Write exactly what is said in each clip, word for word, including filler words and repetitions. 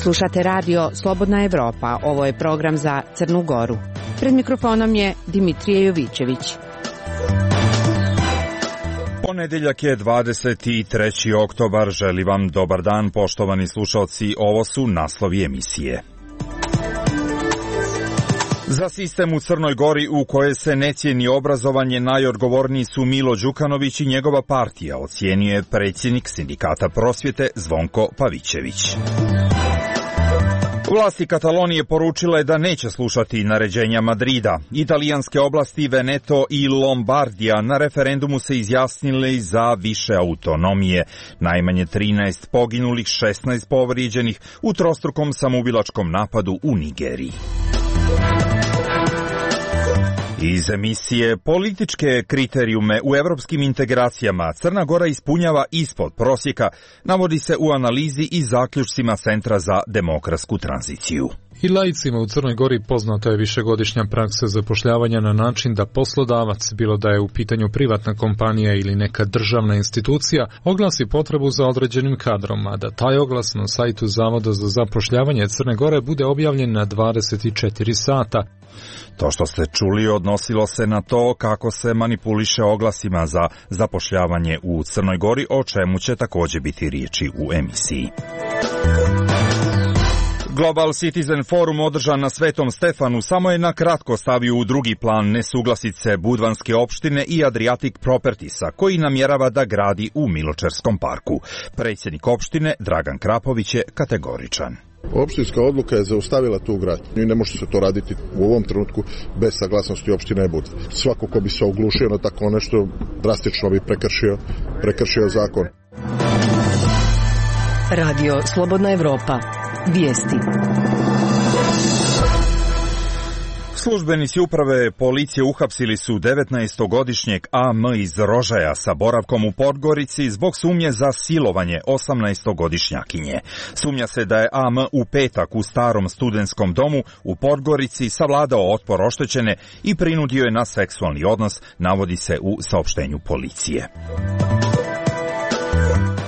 Slušate radio Slobodna Evropa, ovo je program za Crnu Goru. Pred mikrofonom je Dimitrije Jovićević. Ponedeljak je dvadeset treći oktobar, želim vam dobar dan poštovani slušalci, ovo su naslovi emisije. Za sistem u Crnoj Gori u koje se ne cijeni obrazovanje najodgovorniji su Milo Đukanović i njegova partija, ocijenio je predsjednik Sindikata prosvjete Zvonko Pavićević. Vlasti Katalonije poručile da neće slušati naređenja Madrida. Italijanske oblasti Veneto i Lombardija na referendumu se izjasnili za više autonomije. Najmanje trinaest poginulih, šesnaest povrijeđenih u trostrukom samoubilačkom napadu u Nigeriji. Iz emisije Političke kriterijume u evropskim integracijama Crna Gora ispunjava ispod prosjeka, navodi se u analizi i zaključcima Centra za demokratsku tranziciju. I laicima u Crnoj Gori poznata je višegodišnja praksa zapošljavanja na način da poslodavac, bilo da je u pitanju privatna kompanija ili neka državna institucija, oglasi potrebu za određenim kadrom, a da taj oglas na sajtu Zavoda za zapošljavanje Crne Gore bude objavljen na dvadeset četiri sata. To što ste čuli odnosilo se na to kako se manipuliše oglasima za zapošljavanje u Crnoj Gori, o čemu će također biti riječi u emisiji. Global Citizen Forum održan na Svetom Stefanu samo je na kratko stavio u drugi plan nesuglasice Budvanske opštine i Adriatic Propertiesa, koji namjerava da gradi u Miločerskom parku. Predsjednik opštine Dragan Krapović je kategoričan. Opštinska odluka je zaustavila tu gradnju i ne može se to raditi u ovom trenutku bez saglasnosti opštine Budva. Svako ko bi se oglušio na tako nešto drastično bi prekršio, prekršio zakon. Radio Slobodna Evropa. Vijesti. Službenici uprave policije uhapsili su devetnaestogodišnjeg A M iz Rožaja sa boravkom u Podgorici zbog sumnje za silovanje osamnaestogodišnjakinje. Sumnja se da je A M u petak u starom studentskom domu u Podgorici savladao otpor oštećene i prinudio je na seksualni odnos, navodi se u saopštenju policije.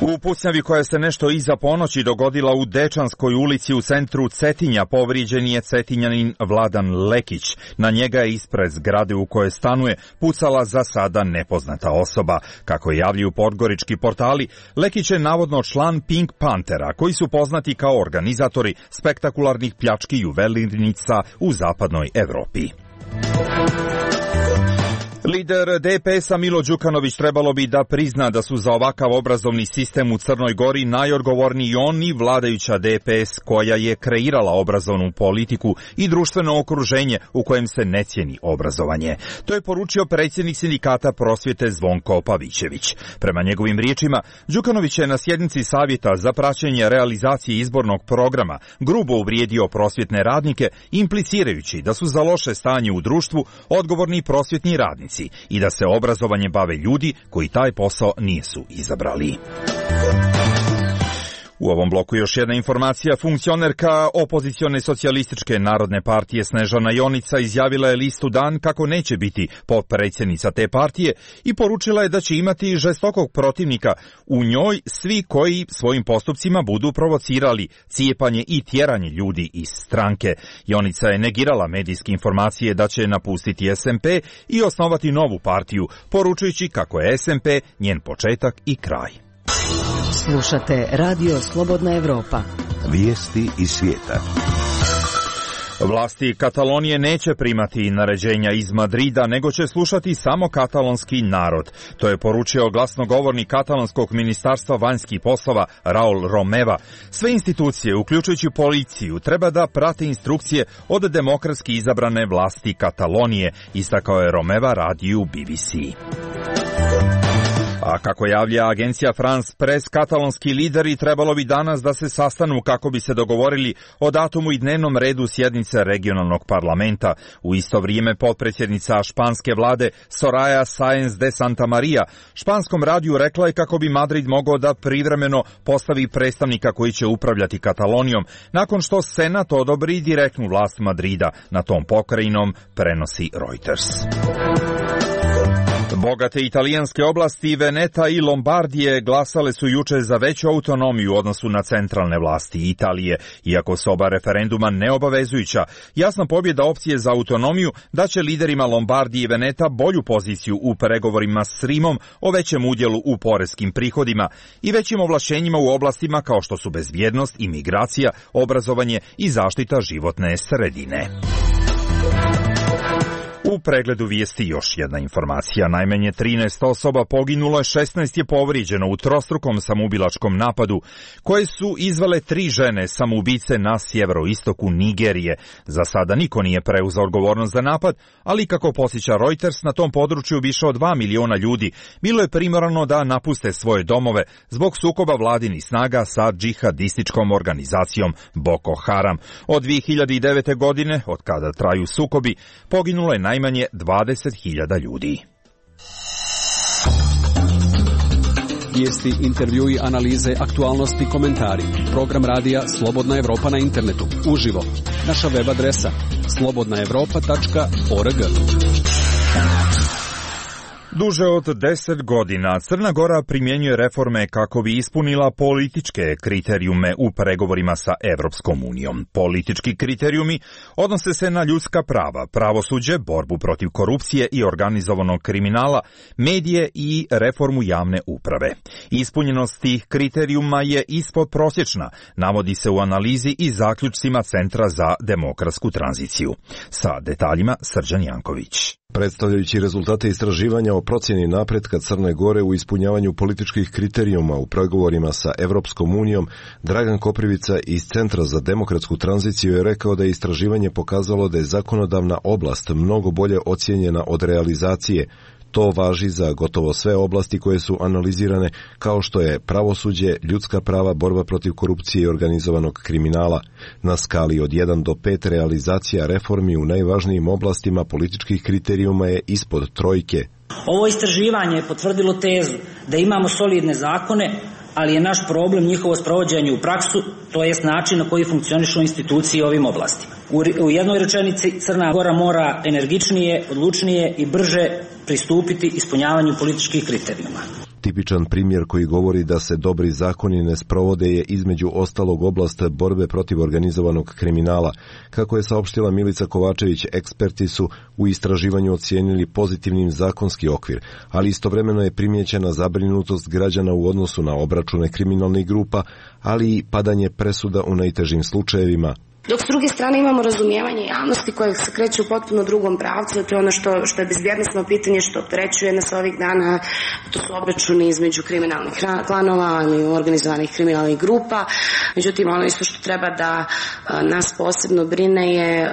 U pucnjavi koja se nešto iza ponoći dogodila u Dečanskoj ulici u centru Cetinja povrijeđen je Cetinjanin Vladan Lekić. Na njega je ispred zgrade u kojoj stanuje pucala za sada nepoznata osoba. Kako javljaju podgorički portali, Lekić je navodno član Pink Panthera, koji su poznati kao organizatori spektakularnih pljački juvelirnica u zapadnoj Evropi. Lider D P S-a Milo Đukanović trebalo bi da prizna da su za ovakav obrazovni sistem u Crnoj Gori najodgovorniji on i vladajuća D P S koja je kreirala obrazovnu politiku i društveno okruženje u kojem se ne cijeni obrazovanje. To je poručio predsjednik Sindikata prosvjete Zvonko Pavićević. Prema njegovim riječima, Đukanović je na sjednici Savjeta za praćenje realizacije izbornog programa grubo uvrijedio prosvjetne radnike, implicirajući da su za loše stanje u društvu odgovorni prosvjetni radnici i da se obrazovanje bave ljudi koji taj posao nisu izabrali. U ovom bloku još jedna informacija. Funkcionerka opozicione socijalističke narodne partije Snežana Jonica izjavila je listu Dan kako neće biti potpredsjednica te partije i poručila je da će imati žestokog protivnika u njoj svi koji svojim postupcima budu provocirali cijepanje i tjeranje ljudi iz stranke. Jonica je negirala medijske informacije da će napustiti S M P i osnovati novu partiju, poručujući kako je S M P njen početak i kraj. Slušate Radio Slobodna Evropa. Vijesti iz svijeta. Vlasti Katalonije neće primati naređenja iz Madrida, nego će slušati samo katalonski narod. To je poručio glasnogovornik katalonskog ministarstva vanjskih poslova Raul Romeva. Sve institucije, uključujući policiju, treba da prate instrukcije od demokratski izabrane vlasti Katalonije, istakao je Romeva radiju B B C. A kako javlja agencija France Press, katalonski lideri trebalo bi danas da se sastanu kako bi se dogovorili o datumu i dnevnom redu sjednice regionalnog parlamenta. U isto vrijeme potpredsjednica španske vlade Soraya Sáenz de Santamaría španskom radiju rekla je kako bi Madrid mogao da privremeno postavi predstavnika koji će upravljati Katalonijom, nakon što Senat odobri direktnu vlast Madrida. Na tom pokrajinom prenosi Reuters. Bogate italijanske oblasti Veneta i Lombardije glasale su juče za veću autonomiju u odnosu na centralne vlasti Italije. Iako su oba referenduma neobavezujuća, jasna pobjeda opcije za autonomiju daće liderima Lombardije i Veneta bolju poziciju u pregovorima s Rimom o većem udjelu u poreskim prihodima i većim ovlašćenjima u oblastima kao što su bezbjednost, imigracija, obrazovanje i zaštita životne sredine. U pregledu vijesti još jedna informacija. Najmanje trinaest osoba poginulo, šesnaest je povrijeđeno u trostrukom samoubilačkom napadu koje su izvele tri žene samoubice na sjeveroistoku Nigerije. Za sada niko nije preuzeo odgovornost za napad, ali kako posjeća Reuters, na tom području više od dva miliona ljudi bilo je primorano da napuste svoje domove zbog sukoba vladinih snaga sa džihadističkom organizacijom Boko Haram. Od dvije hiljade devete. godine, od kada traju sukobi, poginulo je najmanje najmanje dvadeset hiljada ljudi. Vijesti, intervjui, analize, aktualnosti, komentari. Program radija Slobodna Evropa na internetu. Uživo. Naša web adresa slobodna evropa tačka org. Duže od deset godina Crna Gora primjenjuje reforme kako bi ispunila političke kriterijume u pregovorima sa Evropskom unijom. Politički kriterijumi odnose se na ljudska prava, pravosuđe, borbu protiv korupcije i organizovanog kriminala, medije i reformu javne uprave. Ispunjenost tih kriterijuma je ispod prosječna, navodi se u analizi i zaključcima Centra za demokratsku tranziciju. Sa detaljima Srđan Janković. Predstavljajući rezultate istraživanja o procjeni napretka Crne Gore u ispunjavanju političkih kriterijuma u pregovorima sa Evropskom unijom, Dragan Koprivica iz Centra za demokratsku tranziciju je rekao da je istraživanje pokazalo da je zakonodavna oblast mnogo bolje ocijenjena od realizacije. To važi za gotovo sve oblasti koje su analizirane, kao što je pravosuđe, ljudska prava, borba protiv korupcije i organizovanog kriminala. Na skali od jedan do pet realizacija reformi u najvažnijim oblastima političkih kriterijuma je ispod trojke. Ovo istraživanje je potvrdilo tezu da imamo solidne zakone, ali je naš problem njihovo sprovođenje u praksu, to jest način na koji funkcionišu institucije u ovim oblastima. U jednoj rečenici Crna Gora mora energičnije, odlučnije i brže pristupiti ispunjavanju političkih kriterijuma. Tipičan primjer koji govori da se dobri zakoni ne sprovode je između ostalog oblast borbe protiv organizovanog kriminala. Kako je saopštila Milica Kovačević, eksperti su u istraživanju ocijenili pozitivnim zakonski okvir, ali istovremeno je primijećena zabrinutost građana u odnosu na obračune kriminalnih grupa, ali i padanje presuda u najtežim slučajevima. Dok s druge strane imamo razumijevanje javnosti koje se kreće u potpuno drugom pravcu, to je ono što, što je bezbjednosno pitanje što opterećuje nas ovih dana, to su obračuni između kriminalnih klanova ili organizovanih kriminalnih grupa. Međutim, ono isto što treba da a, nas posebno brine je,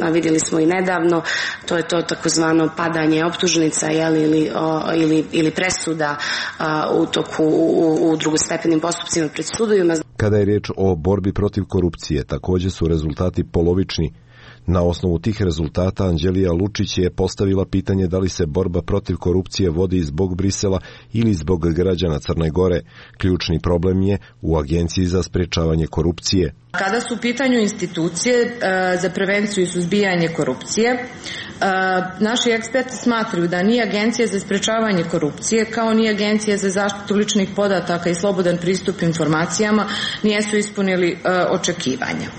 a vidjeli smo i nedavno, to je to takozvano padanje optužnica jeli, ili, o, ili, ili presuda a, u toku u, u drugostepenim postupcima pred sudovima. Kada je riječ o borbi protiv korupcije, također su rezultati polovični. Na osnovu tih rezultata Anđelija Lučić je postavila pitanje da li se borba protiv korupcije vodi zbog Brisela ili zbog građana Crne Gore. Ključni problem je u Agenciji za sprječavanje korupcije. Kada su u pitanju institucije za prevenciju i suzbijanje korupcije, naši eksperti smatraju da ni Agencija za sprječavanje korupcije kao ni Agencija za zaštitu ličnih podataka i slobodan pristup informacijama nisu ispunili očekivanja.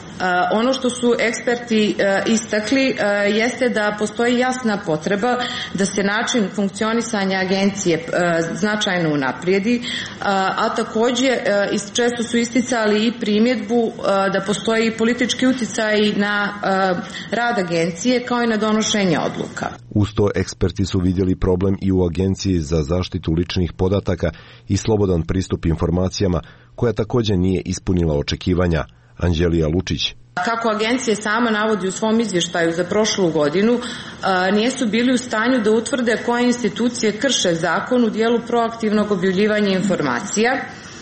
Ono što su eksperti istakli jeste da postoji jasna potreba da se način funkcionisanja agencije značajno unaprijedi, a također često su isticali i primjedbu da postoji politički utjecaj na rad agencije kao i na donošenje odluka. Uz to eksperti su vidjeli problem i u Agenciji za zaštitu ličnih podataka i slobodan pristup informacijama, koja također nije ispunila očekivanja. Anđelija Lučić. Kako agencija sama navodi u svom izvještaju za prošlu godinu, nisu bili u stanju da utvrde koje institucije krše zakon u dijelu proaktivnog objavljivanja informacija,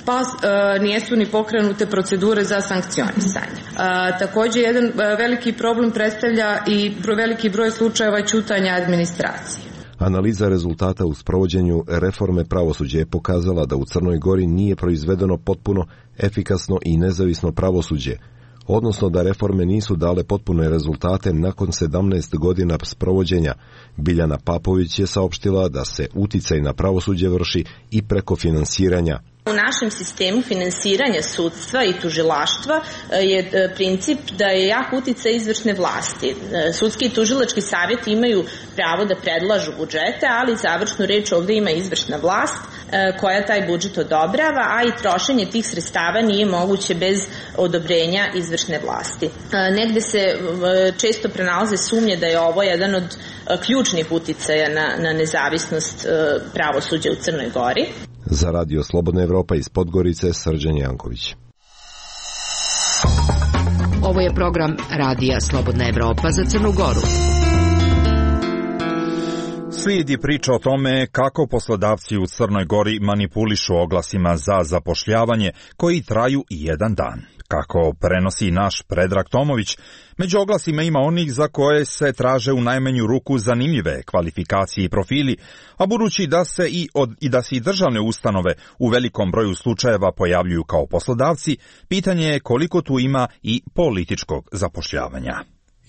pa e, nisu ni pokrenute procedure za sankcionisanje. E, također, jedan veliki problem predstavlja i veliki broj slučajeva ćutanja administracije. Analiza rezultata u sprovođenju reforme pravosuđa je pokazala da u Crnoj Gori nije proizvedeno potpuno, efikasno i nezavisno pravosuđe. odnosno da reforme nisu dale potpune rezultate nakon sedamnaest godina sprovođenja. Biljana Papović je saopštila da se uticaj na pravosuđe vrši i preko finansiranja. U našem sistemu finansiranja sudstva i tužilaštva je princip da je jak uticaj izvršne vlasti. Sudski i tužilački savjeti imaju pravo da predlažu budžete, ali završnu reč ovdje ima izvršna vlast koja taj budžet odobrava, a i trošenje tih sredstava nije moguće bez odobrenja izvršne vlasti. Negde se često pronalaze sumnje da je ovo jedan od ključnih uticaja na, na nezavisnost pravosuđa u Crnoj Gori. Za Radio Slobodna Evropa iz Podgorice, Srđan Janković. Ovo je program Radija Slobodna Evropa za Crnu Goru. Slijedi priča o tome kako poslodavci u Crnoj Gori manipulišu oglasima za zapošljavanje koji traju jedan dan. Kako prenosi naš Predrag Tomović, među oglasima ima onih za koje se traže u najmanju ruku zanimljive kvalifikacije i profili, a budući da se i, od, i da se i državne ustanove u velikom broju slučajeva pojavljuju kao poslodavci, pitanje je koliko tu ima i političkog zapošljavanja.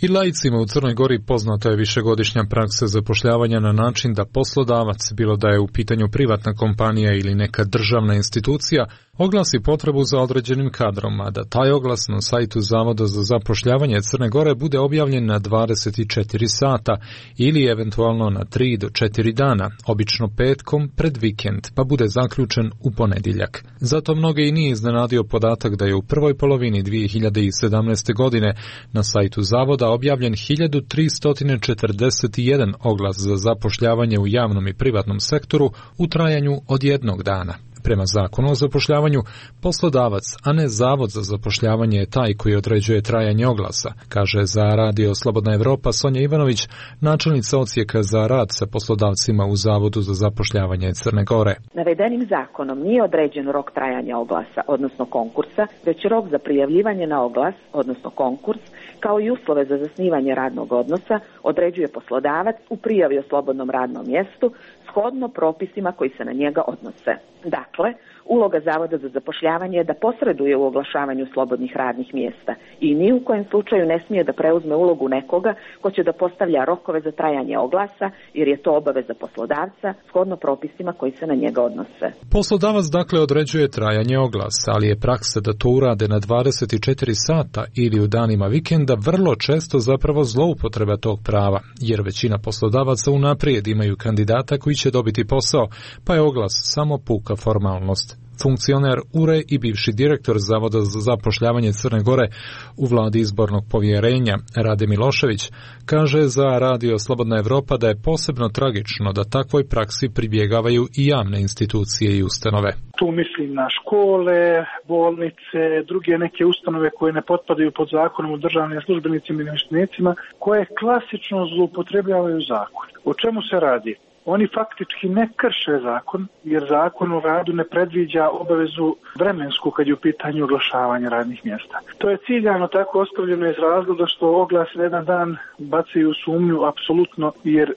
I laicima u Crnoj Gori poznata je višegodišnja praksa zapošljavanja na način da poslodavac, bilo da je u pitanju privatna kompanija ili neka državna institucija, oglasi potrebu za određenim kadrom, a da taj oglas na sajtu Zavoda za zapošljavanje Crne Gore bude objavljen na dvadeset četiri sata ili eventualno na tri do četiri dana, obično petkom pred vikend, pa bude zaključen u ponedjeljak. Zato mnoge i nije iznenadio podatak da je u prvoj polovini dvije hiljade sedamnaeste. godine na sajtu Zavoda objavljen hiljadu tristo četrdeset jedan oglas za zapošljavanje u javnom i privatnom sektoru u trajanju od jednog dana. Prema zakonu o zapošljavanju, poslodavac, a ne Zavod za zapošljavanje je taj koji određuje trajanje oglasa, kaže za Radio Slobodna Evropa Sonja Ivanović, načelnica odsjeka za rad sa poslodavcima u Zavodu za zapošljavanje Crne Gore. Navedenim zakonom nije određen rok trajanja oglasa, odnosno konkursa, već rok za prijavljivanje na oglas, odnosno konkurs, kao i uslove za zasnivanje radnog odnosa određuje poslodavac u prijavi o slobodnom radnom mjestu shodno propisima koji se na njega odnose. Dakle, uloga Zavoda za zapošljavanje je da posreduje u oglašavanju slobodnih radnih mjesta i ni u kojem slučaju ne smije da preuzme ulogu nekoga ko će da postavlja rokove za trajanje oglasa, jer je to obaveza poslodavca shodno propisima koji se na njega odnose. Poslodavac dakle određuje trajanje oglasa, ali je praksa da to urade na dvadeset četiri sata ili u danima vikenda vrlo često zapravo zloupotreba tog prava, jer većina poslodavaca unaprijed imaju kandidata koji će dobiti posao, pa je oglas samo puka formalnost. Funkcioner U R E i bivši direktor Zavoda za zapošljavanje Crne Gore u vladi izbornog povjerenja Rade Milošević kaže za Radio Slobodna Evropa da je posebno tragično da takvoj praksi pribjegavaju i javne institucije i ustanove. Tu mislim na škole, bolnice, druge neke ustanove koje ne potpadaju pod zakonom o državnim službenicima i namještenicima, koje klasično zloupotrebljavaju zakon. O čemu se radi? Oni faktički ne krše zakon, jer zakon o radu ne predviđa obavezu vremensku kad je u pitanju oglašavanja radnih mjesta. To je ciljano tako ostavljeno iz razloga što oglas na jedan dan bacaju u sumnju apsolutno, jer e,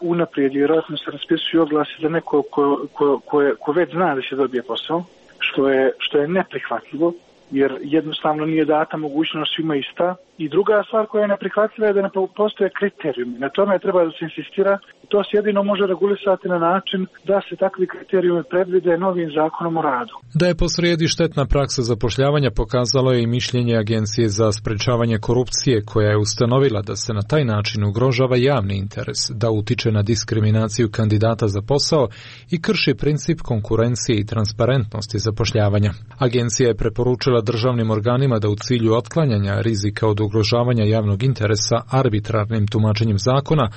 unaprijed vjerojatno se raspisuju oglasi za neko ko, ko, ko, ko već zna da će dobije posao, što je, što je neprihvatljivo, jer jednostavno nije data mogućnost svima ista. I druga stvar koja je neprihvatljiva je da ne postoje kriterijumi. Na tome treba da se insistira. To se jedino može regulisati na način da se takvi kriterijumi predvide novim zakonom o radu. Da je posrijedi štetna praksa zapošljavanja pokazalo je i mišljenje Agencije za sprečavanje korupcije, koja je ustanovila da se na taj način ugrožava javni interes, da utiče na diskriminaciju kandidata za posao i krši princip konkurencije i transparentnosti zapošljavanja. Agencija je preporučila državnim organima da u cilju otklanjanja rizika od ugrožavanja javnog interesa arbitrarnim tumačenjem zakona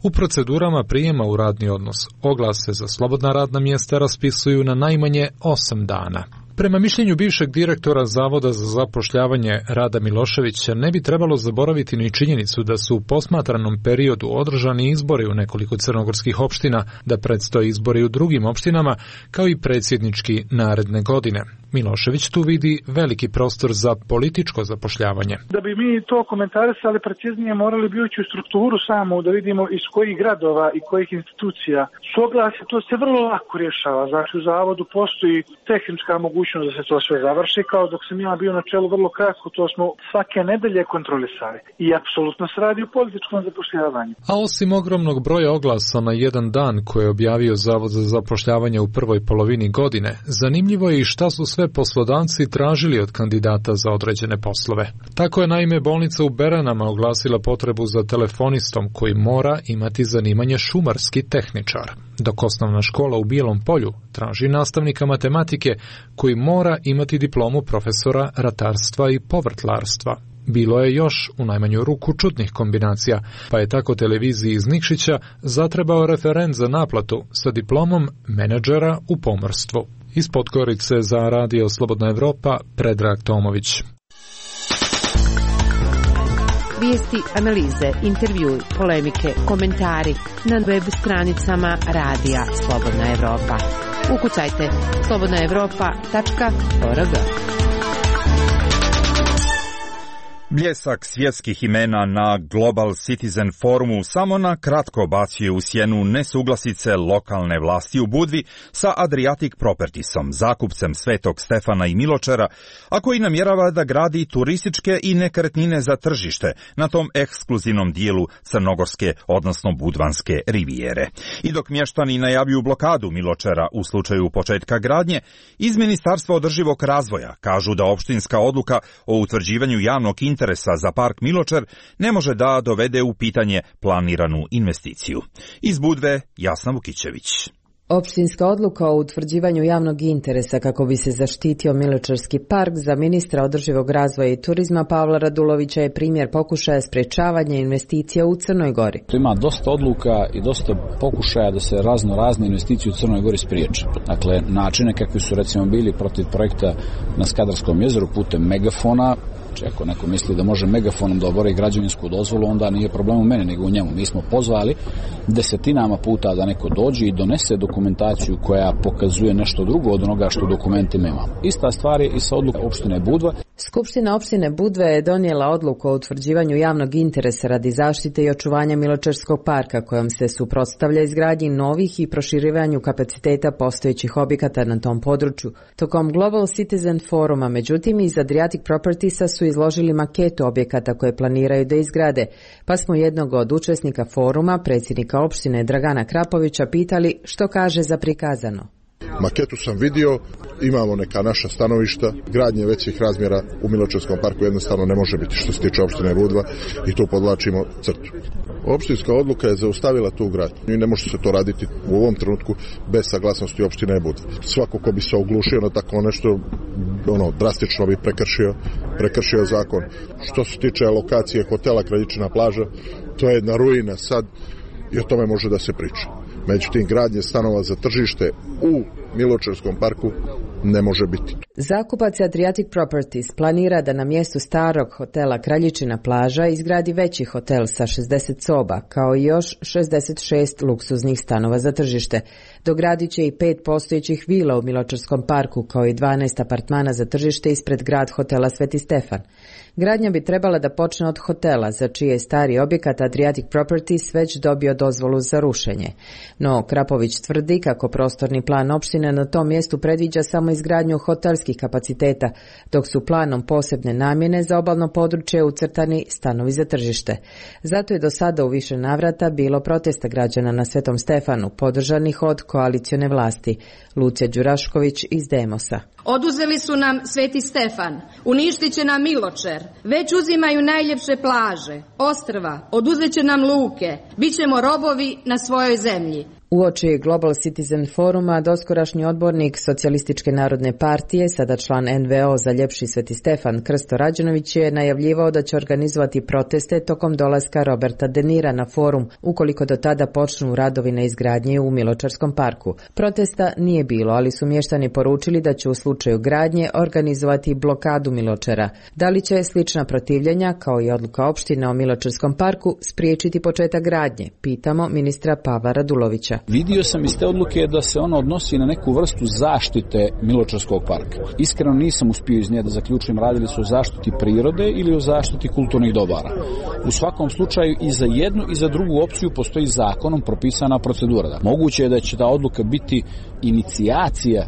u procedurama prijema u radni odnos oglase za slobodna radna mjesta raspisuju na najmanje osam dana. Prema mišljenju bivšeg direktora Zavoda za zapošljavanje Rada Miloševića ne bi trebalo zaboraviti ni činjenicu da su u posmatranom periodu održani izbori u nekoliko crnogorskih opština, da predstoje izbori u drugim opštinama, kao i predsjednički naredne godine. Milošević tu vidi veliki prostor za političko zapošljavanje. Da bi mi to komentarisali preciznije, morali bi ući u strukturu samo, da vidimo iz kojih gradova i kojih institucija su oglasi. To se vrlo lako rješava. Znači u Zavodu postoji tehnička mogućnost mogućnost da se to sve završi, kao dok sam ja bio na čelu vrlo kratko, to smo svake nedelje kontrolisali. I apsolutno se radi o političkom zapošljavanju. A osim ogromnog broja oglasa na jedan dan koje je objavio Zavod za zapošljavanje u prvoj polovini godine, zanimljivo je i šta su sve poslodavci tražili od kandidata za određene poslove. Tako je naime bolnica u Beranama oglasila potrebu za telefonistom koji mora imati zanimanje šumarski tehničar, dok osnovna škola u Bijelom Polju traži nastavnika matematike koji mora imati diplomu profesora ratarstva i povrtlarstva. Bilo je još u najmanju ruku čudnih kombinacija, pa je tako televiziji iz Nikšića zatrebao referent za naplatu sa diplomom menadžera u pomorstvu. Iz Podgorice za Radio Slobodna Evropa, Predrag Tomović. Vijesti, analize, intervjui, polemike, komentari na web stranicama Radija Slobodna Evropa. Ukucajte slobodna evropa tačka org. Bljesak svjetskih imena na Global Citizen forumu samo na kratko bacio u sjenu nesuglasice lokalne vlasti u Budvi sa Adriatic Propertiesom, zakupcem Svetog Stefana i Miločera, a koji namjerava da gradi turističke i nekretnine za tržište na tom ekskluzivnom dijelu crnogorske, odnosno budvanske rivijere. I dok mještani najavljuju blokadu Miločera u slučaju početka gradnje, iz Ministarstva održivog razvoja kažu da opštinska odluka o utvrđivanju javnog interesa interesa za park Miločer ne može da dovede u pitanje planiranu investiciju. Iz Budve, Jasna Vukićević. Opštinska odluka o utvrđivanju javnog interesa kako bi se zaštitio Miločarski park za ministra održivog razvoja i turizma Pavla Radulovića je primjer pokušaja sprečavanja investicija u Crnoj Gori. Ima dosta odluka i dosta pokušaja da se razno razne investicije u Crnoj Gori spriječe. Dakle, načine kakvi su recimo bili protiv projekta na Skadarskom jezeru putem megafona. Ako neko misli da može megafonom da obori građevinsku dozvolu, onda nije problem u mene, nego u njemu. Mi smo pozvali desetinama puta da neko dođe i donese dokumentaciju koja pokazuje nešto drugo od onoga što u dokumentima imamo. Ista stvar je i sa odlukom opštine Budva. Skupština opštine Budve je donijela odluku o utvrđivanju javnog interesa radi zaštite i očuvanja Miločarskog parka, kojom se suprotstavlja izgradnji novih i proširivanju kapaciteta postojećih objekata na tom području. Tokom Global Citizen foruma, međutim, iz Adriatic Propertiesa su izložili maketu objekata koje planiraju da izgrade, pa smo jednog od učesnika foruma, predsjednika opštine Dragana Krapovića, pitali što kaže za prikazano. Maketu sam vidio, imamo neka naša stanovišta, gradnje većih razmjera u Miločarskom parku jednostavno ne može biti što se tiče opštine Budva i tu podvlačimo crtu. Opštinska odluka je zaustavila tu gradnju i ne može se to raditi u ovom trenutku bez saglasnosti opštine Budva. Svako ko bi se oglušio na tako nešto, ono, drastično bi prekršio, prekršio zakon. Što se tiče lokacije hotela Kraljičina plaža, to je jedna ruina sad i o tome može da se priča. Međutim, gradnje stanova za tržište u Miločarskom parku ne može biti. Zakupac Adriatic Properties planira da na mjestu starog hotela Kraljičina plaža izgradi veći hotel sa šezdeset soba, kao i još šezdeset šest luksuznih stanova za tržište. Dogradit će i pet postojećih vila u Miločarskom parku, kao i dvanaest apartmana za tržište ispred grad hotela Sveti Stefan. Gradnja bi trebala da počne od hotela, za čiji je stari objekat Adriatic Properties već dobio dozvolu za rušenje. No, Krapović tvrdi kako prostorni plan opštine na tom mjestu predviđa samo izgradnju hotelskih kapaciteta, dok su planom posebne namjene za obalno područje ucrtani stanovi za tržište. Zato je do sada u više navrata bilo protesta građana na Svetom Stefanu, podržanih od koalicione vlasti. Lucija Đurašković iz Demosa. Oduzeli su nam Sveti Stefan, uništit će nam Miločer, već uzimaju najljepše plaže, ostrva, oduzet će nam luke, bit ćemo robovi na svojoj zemlji. Uoči Global Citizen foruma, doskorašnji odbornik Socijalističke narodne partije, sada član en ve o za ljepši Sveti Stefan, Krsto Rađenović, je najavljivao da će organizovati proteste tokom dolaska Roberta De Nira na forum, ukoliko do tada počnu radovi na izgradnji u Miločarskom parku. Protesta nije bilo, ali su mještani poručili da će u slučaju gradnje organizovati blokadu Miločara. Da li će slična protivljenja, kao i odluka opštine o Miločarskom parku, spriječiti početak gradnje? Pitamo ministra Pavla Radulovića. Vidio sam iz te odluke da se ona odnosi na neku vrstu zaštite Miločarskog parka. Iskreno nisam uspio iz nje da zaključim radili su o zaštiti prirode ili o zaštiti kulturnih dobara. U svakom slučaju i za jednu i za drugu opciju postoji zakonom propisana procedura. Moguće je da će ta odluka biti inicijacija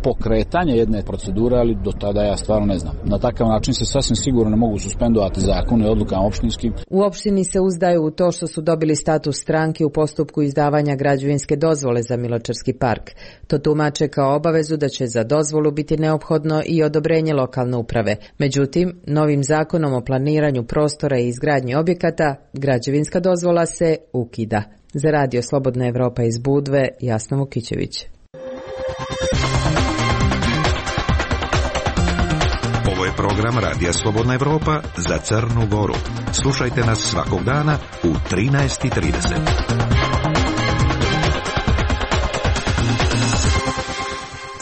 pokretanja jedne procedure, ali do tada ja stvarno ne znam. Na takav način se sasvim sigurno ne mogu suspendovati zakone i odlukama opštinskim. U opštini se uzdaju u to što su dobili status stranke u postupku izdavanja građevinske dozvole za Miločarski park. To tumače kao obavezu da će za dozvolu biti neophodno i odobrenje lokalne uprave. Međutim, novim zakonom o planiranju prostora i izgradnji objekata, građevinska dozvola se ukida. Za Radio Slobodna Evropa iz Budve, Jasna Vukićević. Ovo je program Radija Slobodna Evropa za Crnu Goru. Slušajte nas svakog dana u trinaest i trideset.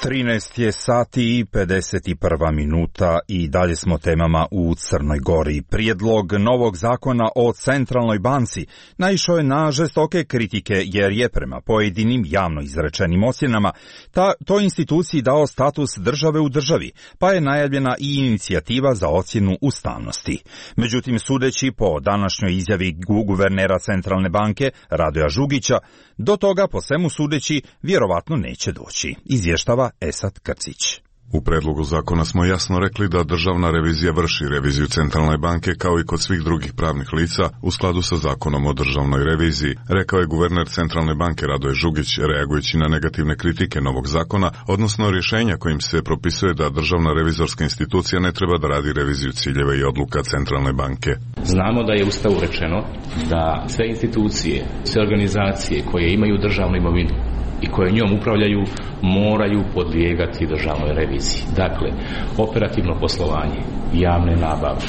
trinaest je sati i pedeset prva minuta i dalje smo temama u Crnoj Gori. Prijedlog novog zakona o centralnoj banci naišao je na žestoke kritike jer je prema pojedinim javno izrečenim ocjenama ta, to instituciji dao status države u državi, pa je najavljena i inicijativa za ocjenu ustavnosti. Međutim, sudeći po današnjoj izjavi guvernera Centralne banke Radoja Žugića, do toga po svemu sudeći vjerovatno neće doći, izvještava Esad Krcić. U predlogu zakona smo jasno rekli da državna revizija vrši reviziju Centralne banke kao i kod svih drugih pravnih lica u skladu sa zakonom o državnoj reviziji, rekao je guverner Centralne banke Radoje Žugić reagujući na negativne kritike novog zakona, odnosno rješenja kojim se propisuje da državna revizorska institucija ne treba da radi reviziju ciljeva i odluka Centralne banke. Znamo da je u Ustavu rečeno da sve institucije, sve organizacije koje imaju državnu imovinu i koje njom upravljaju moraju podlijegati državnoj reviziji. Dakle, operativno poslovanje, javne nabavke,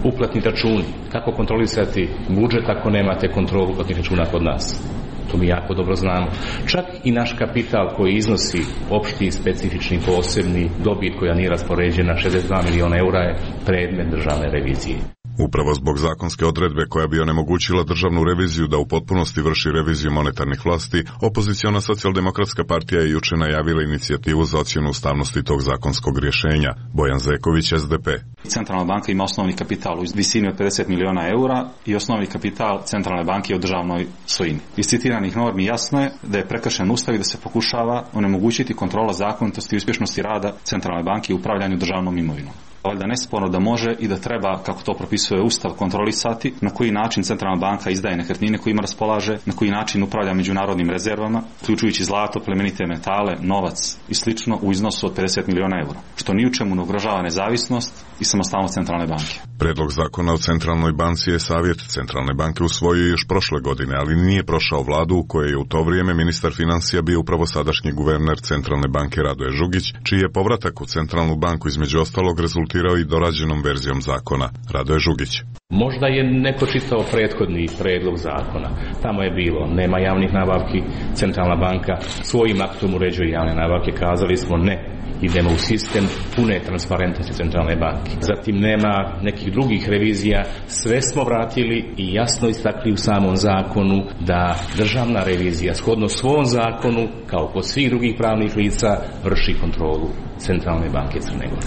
uplatni računi, kako kontrolisati budžet ako nemate kontrolu uplatnih računa kod nas. To mi jako dobro znamo. Čak i naš kapital koji iznosi opšti, specifični, posebni dobit koja nije raspoređena, šezdeset dva miliona eura je predmet državne revizije. Upravo zbog zakonske odredbe koja bi onemogućila državnu reviziju da u potpunosti vrši reviziju monetarnih vlasti, opoziciona socijaldemokratska partija je juče najavila inicijativu za ocjenu ustavnosti tog zakonskog rješenja. Bojan Zeković, S D P. Centralna banka ima osnovni kapital u visini od pedeset miliona eura i osnovni kapital Centralne banke je u državnoj svojini. Iz citiranih normi jasno je da je prekršen ustav i da se pokušava onemogućiti kontrola zakonitosti i uspješnosti rada Centralne banke i upravljanju državnom imovinom. Valjda nesporno da može i da treba, kako to propisuje Ustav, kontrolisati na koji način Centralna banka izdaje nekretnine kojima raspolaže, na koji način upravlja međunarodnim rezervama, uključujući zlato, plemenite metale, novac i slično u iznosu od pedeset miliona eura, što ni u čemu ne ugrožava nezavisnost i samostalnost Centralne banke. Predlog zakona o Centralnoj banci je Savjet Centralne banke usvojio još prošle godine, ali nije prošao vladu u kojoj je u to vrijeme ministar financija bio upravo sadašnji guverner Centralne banke Radoje Žugić, čiji je povratak u Centralnu banku između ostalog rezultirao i dorađenom verzijom zakona. Radoje Žugić. Možda je neko čitao prethodni predlog zakona. Tamo je bilo, nema javnih nabavki, Centralna banka svojim aktom uređuje javne nabavke, kazali smo ne. Idemo u sistem pune transparentnosti Centralne banke. Zatim nema nekih drugih revizija, sve smo vratili i jasno istakli u samom zakonu da državna revizija shodno svom zakonu, kao kod svih drugih pravnih lica, vrši kontrolu Centralne banke Crne Gore,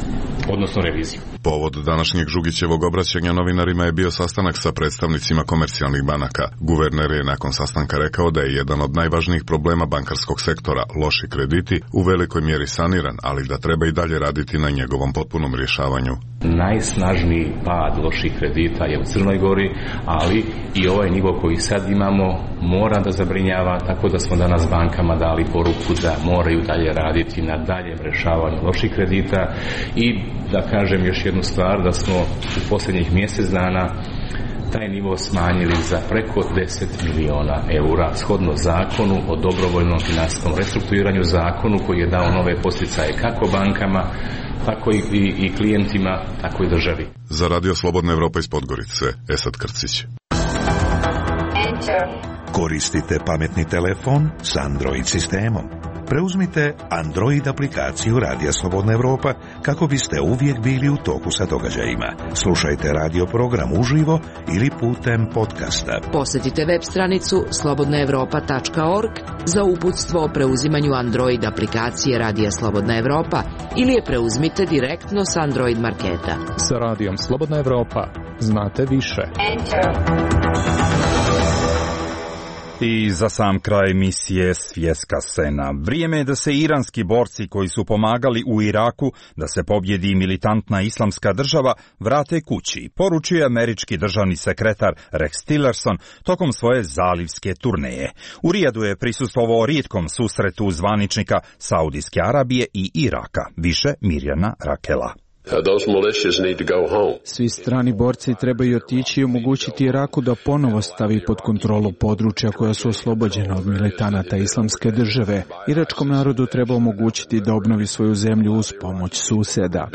odnosno reviziju. Povod današnjeg Žugićevog obraćanja novinarima je bio sastanak sa predstavnicima komercijalnih banaka. Guverner je nakon sastanka rekao da je jedan od najvažnijih problema bankarskog sektora, loši krediti, u velikoj mjeri saniran, ali da treba i dalje raditi na njegovom potpunom rješavanju. Najsnažniji pad loših kredita je u Crnoj Gori, ali i ovaj nivo koji sad imamo mora da zabrinjava, tako da smo danas bankama dali poruku da moraju dalje raditi na daljem rješavanju loših kredita i da kažem još jednu stvar, da smo u posljednjih mjesec dana taj nivo smanjili za preko deset miliona eura, shodno zakonu o dobrovoljnom finansijskom restrukturiranju, zakonu koji je dao nove posticaje kako bankama, tako i, i, i klijentima, tako i državi. Za Radio Slobodna Evropa iz Podgorice, Esad Krcić. Koristite pametni telefon s Android sistemom. Preuzmite Android aplikaciju Radija Slobodna Evropa kako biste uvijek bili u toku sa događajima. Slušajte radio program uživo ili putem podcasta. Posjetite web stranicu slobodna evropa tačka org za uputstvo o preuzimanju Android aplikacije Radija Slobodna Evropa ili je preuzmite direktno s Android marketa. Sa Radijom Slobodna Evropa znate više. I za sam kraj emisije Svjetska scena. Vrijeme je da se iranski borci koji su pomagali u Iraku da se pobjedi militantna islamska država vrate kući, poručuje američki državni sekretar Rex Tillerson tokom svoje zalivske turneje. U Rijadu je prisustvovao rijetkom susretu zvaničnika Saudijske Arabije i Iraka. Više Mirjana Rakela. Svi strani borci trebaju otići i omogućiti Iraku da ponovo stavi pod kontrolu područja koja su oslobođena od militanata islamske države. Iračkom narodu treba omogućiti da obnovi svoju zemlju uz pomoć susjeda.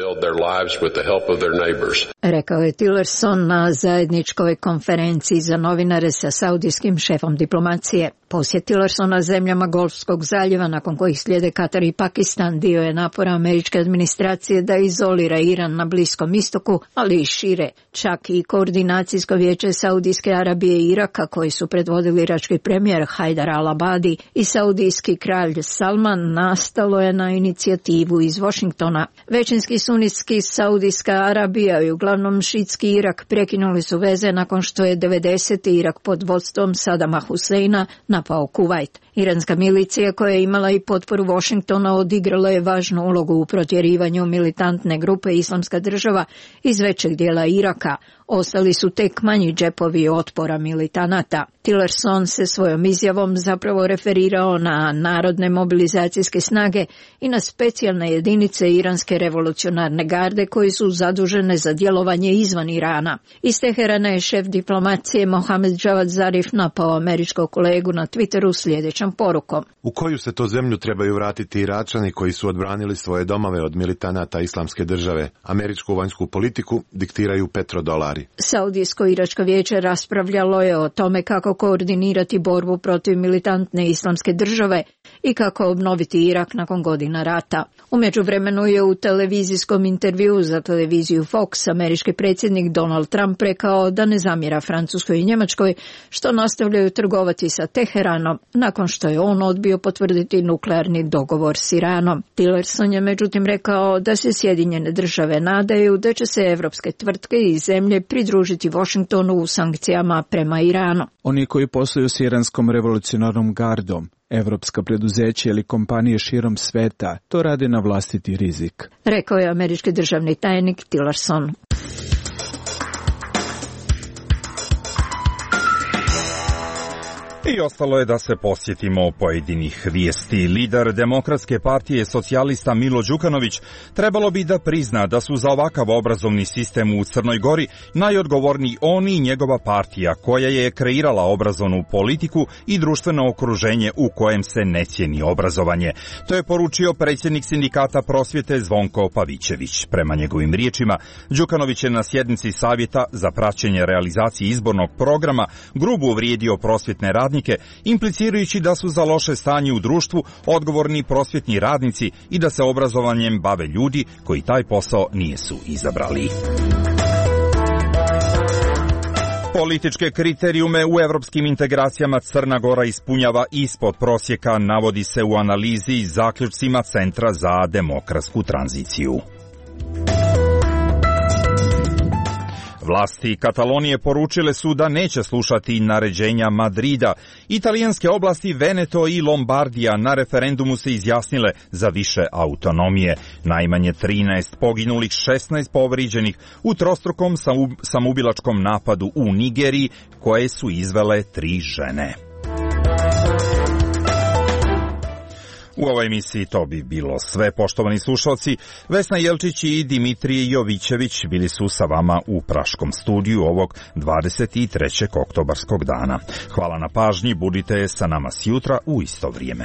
Rekao je Tillerson na zajedničkoj konferenciji za novinare sa saudijskim šefom diplomacije. Posjet Tillersona zemljama Golfskog zaljeva, nakon kojih slijede Katar i Pakistan, dio je napora američke administracije da izolira Iran na Bliskom istoku, ali i šire. Čak i koordinacijsko vijeće Saudijske Arabije i Iraka, koji su predvodili irački premijer Hajdar al-Abadi i saudijski kralj Salman, nastalo je na inicijativu iz Washingtona. Većinski sunitski Saudijska Arabija i uglavnom šitski Irak prekinuli su veze nakon što je devedesete Irak pod vodstvom Sadama Huseina napao Kuvajt. Iranska milicija, koja je imala i potporu Washingtona, odigrala je važnu ulogu u protjerivanju militantne grupe Islamska država iz većeg dijela Iraka. Ostali su tek manji džepovi otpora militanata. Tillerson se svojom izjavom zapravo referirao na narodne mobilizacijske snage i na specijalne jedinice Iranske revolucionarne garde koji su zadužene za djelovanje izvan Irana. Iz Teherana je šef diplomacije Mohamed Javad Zarif napao američkog kolegu na Twitteru sljedećom porukom. U koju se to zemlju trebaju vratiti Iračani koji su odbranili svoje domove od militanata islamske države? Američku vanjsku politiku diktiraju petrodolari. Saudijsko-iračko vijeće raspravljalo je o tome kako koordinirati borbu protiv militantne islamske države i kako obnoviti Irak nakon godina rata. U međuvremenu je u televizijskom intervjuu za televiziju Fox američki predsjednik Donald Trump rekao da ne zamjera Francuskoj i Njemačkoj što nastavljaju trgovati sa Teheranom nakon što je on odbio potvrditi nuklearni dogovor s Iranom. Tillerson je međutim rekao da se Sjedinjene države nadaju da će se evropske tvrtke i zemlje pridružiti Washingtonu u sankcijama prema Iranu. Oni koji posluju s iranskom revolucionarnom gardom, evropska preduzeća ili kompanije širom sveta, to rade na vlastiti rizik, rekao je američki državni tajnik Tillerson. I ostalo je da se posjetimo pojedinih vijesti. Lider Demokratske partije socijalista Milo Đukanović trebalo bi da prizna da su za ovakav obrazovni sistem u Crnoj Gori najodgovorniji on i njegova partija koja je kreirala obrazovnu politiku i društveno okruženje u kojem se ne cijeni obrazovanje. To je poručio predsjednik sindikata prosvjete Zvonko Pavićević. Prema njegovim riječima, Đukanović je na sjednici savjeta za praćenje realizacije izbornog programa grubo uvrijedio prosvjetne radnike, implicirajući da su za loše stanje u društvu odgovorni prosvjetni radnici i da se obrazovanjem bave ljudi koji taj posao nisu izabrali. Političke kriterijume u evropskim integracijama Crna Gora ispunjava ispod prosjeka, navodi se u analizi i zaključcima Centra za demokratsku tranziciju. Vlasti Katalonije poručile su da neće slušati naređenja Madrida. Italijanske oblasti Veneto i Lombardija na referendumu se izjasnile za više autonomije. Najmanje trinaest poginulih, šesnaest povrijeđenih u trostrukom samoubilačkom napadu u Nigeriji koje su izvele tri žene. U ovoj emisiji to bi bilo sve, poštovani slušalci. Vesna Jelčić i Dimitrije Jovićević bili su sa vama u Praškom studiju ovog dvadeset trećeg oktobarskog dana. Hvala na pažnji, budite sa nama sjutra u isto vrijeme.